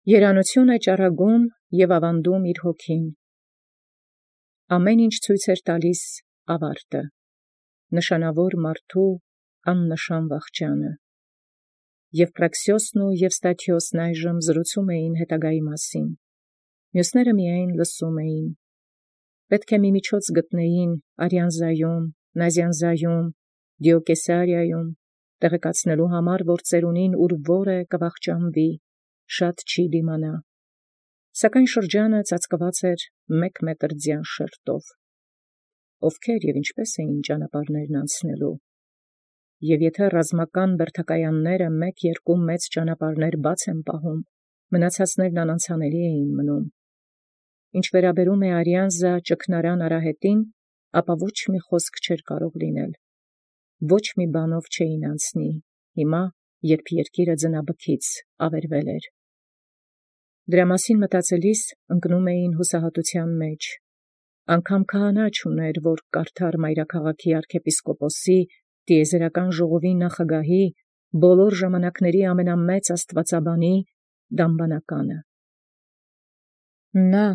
Երանութիւն է ճառագում և աւանդում իր հոգին։ Ամեն ինչ ցույց տալիս ավարտը, նշանավոր մարդու աննշան վախճանը։ Եւ Պրաքսիոսն և Ստաթիոսն այժմ զրուցում էին հետագայի մասին, մյուսները միայն լսում էին։ Պետք է մի միջոց գտնեին Արիանզայում, Նազիանզայում, Դիոկեսարիայում, տեղեկացնելու համար, որ ծերունին ուր որ է կվախճանվի, շատ չի դիմանա։ Սակայն շրջանը ծածկված էր 1 մետր ձյան շերտով։ Ովքեր և ինչպես էին ճանապարհներն անցնելու։ Եվ եթե ռազմական բերդակայանները 1-2 մեծ ճանապարհներ բաց են պահում, մնացածներն անանցանելի էին մնում։ Ինչ վերաբերում է Արիանզա ճգնարան արահետին, ապա ոչ մի խոսք չէր կարող լինել։ Ոչ մի բանով չէին անցնի, հիմա, երբ երկիրը ձնաբքից ավերվել էր։ Դրա մասին մտածելիս ընկնում էին հուսահատության մեջ։ Անգամ քահանա չուներ, որ կարդար մայրաքաղաքի arczepiskoposi տիեզերական ժողովի նախագահի, բոլոր ժամանակների ամենամեծ աստվածաբանի դամբանականը։ Նա,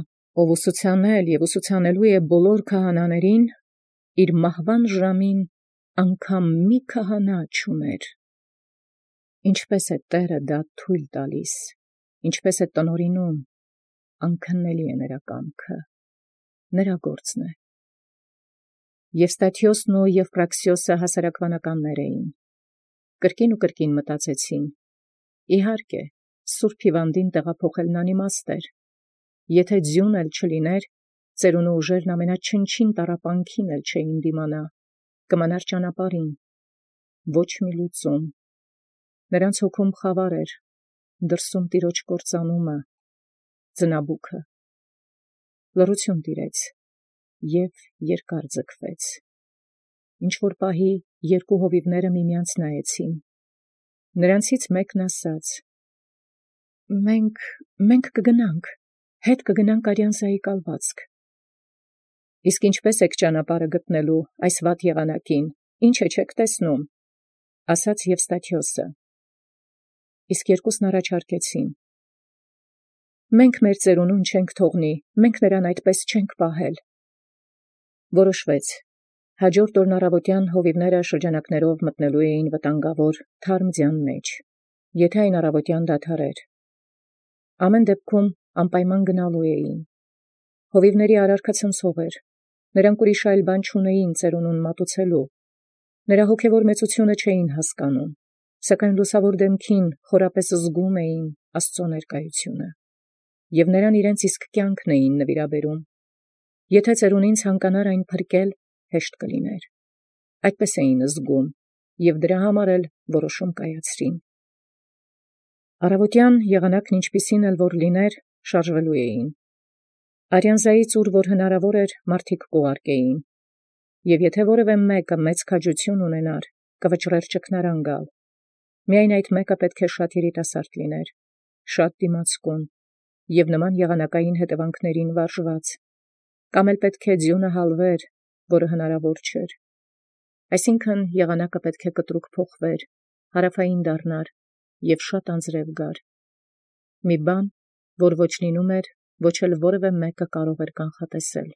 ով ուսուցանել և ուսուցանելու է բոլոր քահանաներին, իր մահվան ժամին անգամ մի քահանա չուներ։ Ինչպես է Տէրը դա թույլ տալիս, ինչպես է տնօրինում, անքննելի է նրա կամքը, նրա գործն է։ Եւ Ստաթիոսն և Պրաքսիոսը հասարակվանականներ էին։ Կրկին ու կրկին մտածեցին. իհարկե, Սուրբ Հիվանդին տեղափոխելն անիմաստ էր։ Եթե ձյուն էլ չլիներ, ծերունու ուժերն ամենաչնչին տառապանքին էլ չէին դիմանա, կմնար ճանապարհին, ոչ մի լուծում։ Նրանց հոգում խավար էր, դրսում տիրոջ կործանումը, ձնաբուքը։ Լռություն տիրեց և երկար ձգվեց։ Ինչ-որ պահի երկու հովիվները միմյանց նայեցին։ Նրանցից մեկն ասաց. «Մենք կգնանք, հետ կգնանք Արիանզայի կալվածք»։ Իսկ ինչպես եք ճանապարհը գտնելու այս վատ եղանակին, ինչ չեք տեսնում, ասաց և Ստաթիոսը։ Իսկ երկուսն առաջարկեցին. մենք մեր ծերունուն չենք թողնի, մենք նրան այդպես չենք պահել։ Որոշվեց. հաջորդ օրն առավոտյան հովիվները շրջանակներով մտնելու էին վտանգավոր թարմ ձյան մեջ, եթե այն առավոտյան դադարեր։ Ամեն դեպքում անպայման գնալու էին։ Հովիվների արարքը ցնցող էր, նրանք ուրիշ այլ բան չունեին ծերունուն մատուցելու։ Նրա հոգևոր մեծությունը չէին հասկանում, սակայն լուսավոր դեմքին խորապես զգում էին Աստծո ներկայությունը, և նրան իրենց իսկ կյանքն էին նվիրաբերում։ Եթե ծերունին ցանկանար այն փրկել, հեշտ կլիներ։ Այդպես էին զգում, և դրա համար էլ որոշում կայացրին։ Առավոտյան եղանակն ինչպիսին էլ որ լիներ, շարժվելու էին։ Արիանզայից ուր որ հնարավոր էր, մարդիկ կուղարկեին, և եթե որևէ մեկը մեծ քաջություն ունենար, կվճռեր ճգնարան գալ։ Միայն այդ մեկը պետք է շատ երիտասարդ լիներ, շատ դիմացկուն և նման եղանակային հետևանքներին վարժված, կամ էլ պետք է ձյունը հալվեր, որը հնարավոր չէր։ Այսինքն եղանակը պետք է կտրուկ փոխվեր, հարավային դառնար և շատ անձրև գար։ Մի բան, որ ոչ լինում էր, ոչ էլ որևէ մեկը կարող էր կանխատեսել։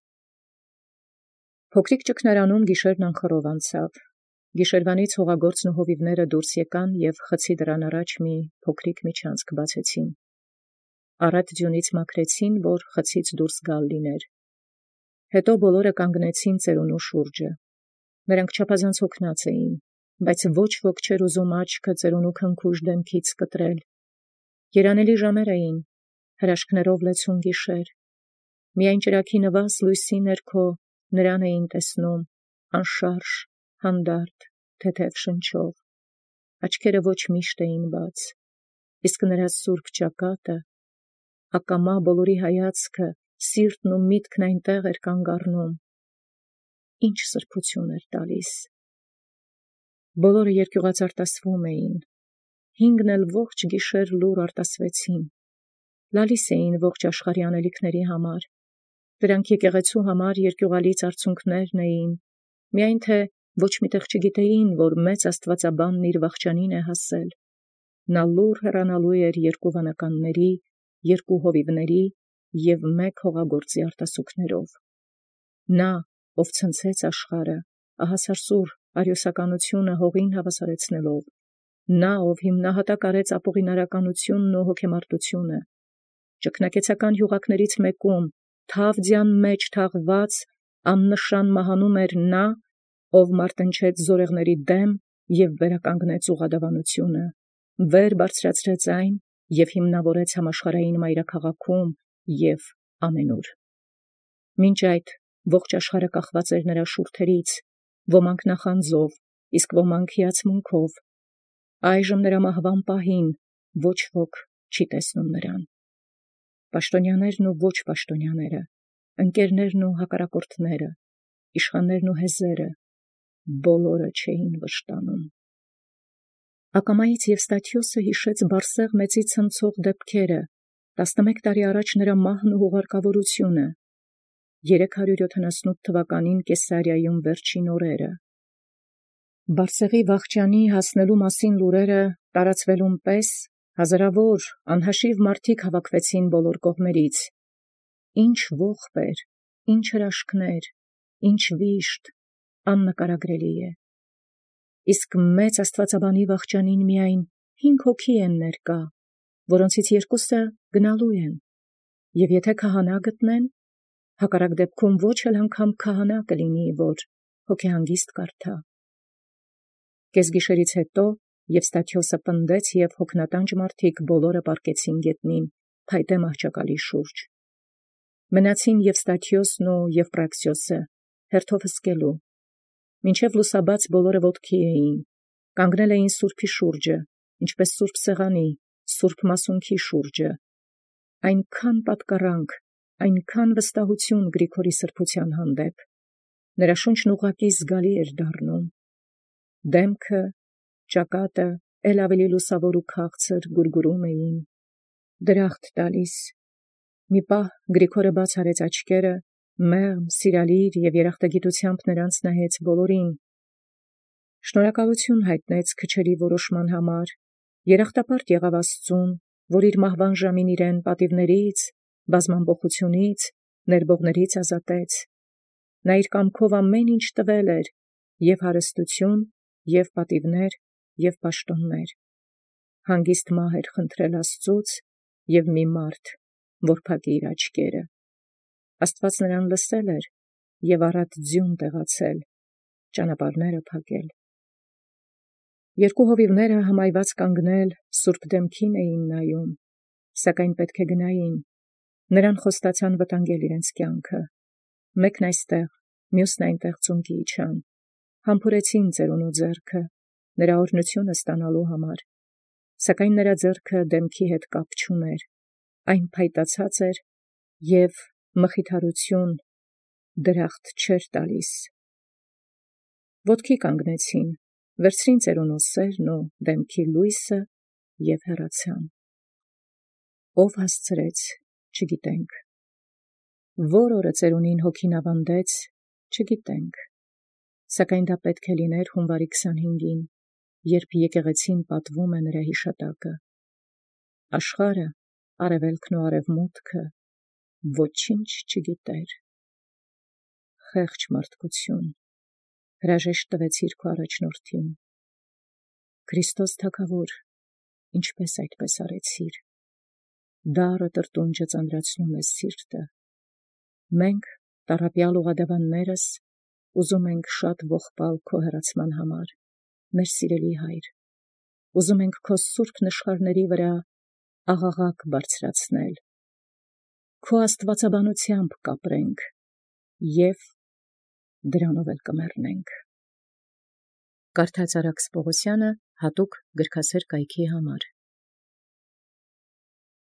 Փոքրիկ ճգնարանում գիշերն անխռով անցավ։ Գիշերվանից հողագործն ու հովիվները դուրս եկան և խցի դռան առաջ մի փոքրիկ միջանցք բացեցին։ Առատ ձյունից մաքրեցին, որ խցից դուրս գալ լիներ։ Հետո բոլորը կանգնեցին ծերունու շուրջը։ Նրանք չափազանց հոգնած էին, բայց ոչ ոք չէր ուզում աչքը ծերունու քնքուշ դեմքից կտրել։ Երանելի ժամեր էին, հրաշքներով լեցուն գիշեր։ Միայն ճրագի նվազ լույսի ներքո նրան էին տեսնում, անշարժ, հանդարտ, թեթև շնչով։ Աչքերը ոչ միշտ էին բաց, իսկ նրա սուրբ ճակատը, ակամա բոլորի հայացքը, սիրտն ու միտքն այնտեղ էր կանգ առնում։ Ինչ սրբություն էր տալիս։ Բոլորը երկյուղած արտասվում էին, 5 էլ ողջ գիշեր լուռ արտասվեցին։ Լալիս էին ողջ աշխարհի անելիքների համար։ Դրանք եկեղեցու համար երկյուղալից արցունքներն էին, միայն թե ոչ միտեղ չգիտեին, որ մեծ աստվածաբանն իր վախճանին է հասել։ Նա լուռ հեռանալու էր երկու վանականների երկու հովիվների և մեկ հողագործի արտասուքներով։ Նա, ով ցնցեց աշխարհը, ահասարսուռ արիոսականությունը հողին հավասարեցնելով, նա, ով հիմնահատակ արեց ապօղինարականությունն ու հոգեմարտությունը, ճգնակեցական յուղակներից մեկում, թավ ձյան մեջ թաղված, աննշան մահանում էր նա, ով մարտնչեց զորեղների դեմ և վերականգնեց ուղղադավանությունը, վեր բարձրացրեց այն և հիմնավորեց համաշխարհային մայրաքաղաքում և ամենուր։ Մինչ այդ ողջ աշխարհը կախված էր նրա շուրթերից, ոմանք նախանձով, իսկ ոմանք հիացմունքով։ Այժմ նրա մահվան պահին ոչ ոք չի տեսնում նրան։ Պաշտոնյաներն ու ոչ պաշտոնյաները, ընկերներն ու հակառակորդները, իշխաններն ու հեզերը, բոլորը չէին վշտանում։ Ակամայից Եվստաթիոսը հիշեց Բարսեղ մեծի ցնցող դեպքերը, 11 տարի առաջ նրա մահն ու հուղարկավորությունը, 378 թվականին Կեսարիայում վերջին օրերը։ Բարսեղի վախճանի հասնելու մասին լուրերը տարածվելուն պես հազարավոր անհաշիվ մարդիկ հավաքվեցին բոլոր կողմերից։ Ինչ ողբ էր, ինչ հրաշքներ, ինչ վիշտ, աննկարագրելի է։ Իսկ մեծ աստվածաբանի վախճանին միայն 5 հոգի են ներկա, որոնցից 2 գնալու են, և եթե քահանա գտնեն, հակառակ դեպքում ոչ էլ անգամ քահանա կլինի, որ հոգեհանգիստ կարդա։ Կեսգիշերից հետո Եվստաթիոսը պնդեց, և հոգնատանջ մարդիկ բոլորը պառկեցին գետնին, փայտե մահճակալի շուրջ։ Մնացին Եվստաթիոսն ու Եվպրաքսիոսը հերթով հսկելու։ Մինչև լուսաբաց բոլորը ոտքի էին, կանգնել էին սուրբի շուրջը, ինչպես սուրբ սեղանի, սուրբ մասունքի շուրջը։ Այնքան պատկառանք, այնքան վստահություն Գրիգորի սրբության հանդեպ, նրա շունչն ուղղակի զգալի էր դառնում։ Դեմքը, ճակատը էլ ավելի լուսավոր ու քաղցր գուրգուրում էին, դրախտ տալիս։ Մի պահ Գրիգորը բաց արեց աչքերը, մեղմ, սիրալիր և երախտագիտությամբ նրանց նայեց բոլորին։ Շնորհակալություն հայտնեց քչերի որոշման համար, երախտապարտ եղավ Աստծուն, որ իր մահվան ժամին իրեն պատիվներից, բազմամբոխությունից, ներբողներից ազատեց։ Նա իր կամքով ամեն ինչ տվել էր, և հարստություն, և պատիվներ, և պաշտոններ։ Հանգիստ մահ էր խնդրել Աստծուց, և մի մարդ, որ փակի իր աչքերը։ Աստված նրան լսել էր և առատ ձյուն տեղացել, ճանապարհները փակել։ Երկու հովիվները հմայված կանգնել սուրբ դեմքին էին նայում, սակայն պետք է գնային։ Նրան խոստացան վտանգել իրենց կյանքը։ Մեկն այստեղ, մյուսն այնտեղ ծունկի իջան, համբուրեցին ծերունու ձեռքը, նրա օրհնությունը ստանալու համար, սակայն նրա ձեռքը դեմքի հետ կապ չուներ, այն փայտացած էր և մխիթարություն, դրախտ չէր տալիս։ Ոտքի կանգնեցին, վերցրին ծերունու սերն ու դեմքի լույսը և հեռացան։ Ով հասցրեց, չգիտենք։ Որ օրը ծերունին հոգին ավանդեց, չգիտենք, սակայն դա պետք է լիներ հունվարի 25-ին, երբ եկեղեցին պատվում է նրա հիշատակը։ Աշխարհը, արևելքն ու արևմուտքը ոչինչ չգիտեր։ Խեղճ մարդկություն, հրաժեշտ տվեցիր քո առաջնորդին։ Քրիստոս թագավոր, ինչպես այդպես արեցիր։ Դառը տրտունջը ծանրացնում է սիրտը։ Մենք, տառապյալ ուղղադավաններս, ուզում ենք շատ ողբալ քո հեռացման համար, մեր սիրելի Հայր, ուզում ենք քո սուրբ նշխարների վրա աղաղակ բարձրացնել, քո աստվածաբանությամբ կապրենք և դրանով էլ կմեռնենք։ Կարդաց Արաքս Պողոսյանը հատուկ գրքասեր կայքի համար։